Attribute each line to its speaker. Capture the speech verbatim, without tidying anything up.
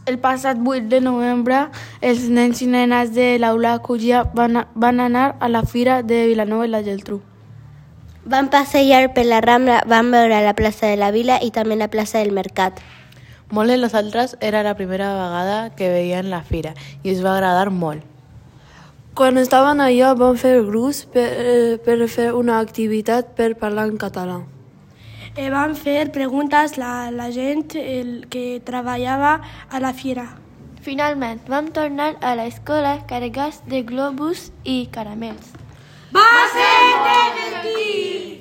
Speaker 1: El passat vuit de novembre, els nens i nenes de l'aula Cúllia van, van anar a la fira de Vilanova i la Geltrú.
Speaker 2: Van passejar per la Rambla, van veure la plaça de la Vila i també la plaça del Mercat.
Speaker 3: Molts de nosaltres era la primera vegada que veien la fira i ens va agradar molt.
Speaker 4: Quan estaven allà van fer grups per, per fer una activitat per parlar en català.
Speaker 5: Eh, van fer preguntes a la gent el que treballava a la fira.
Speaker 6: Finalment, vam tornar a l'escola carregats de globus i caramels.
Speaker 7: Va ser divertit!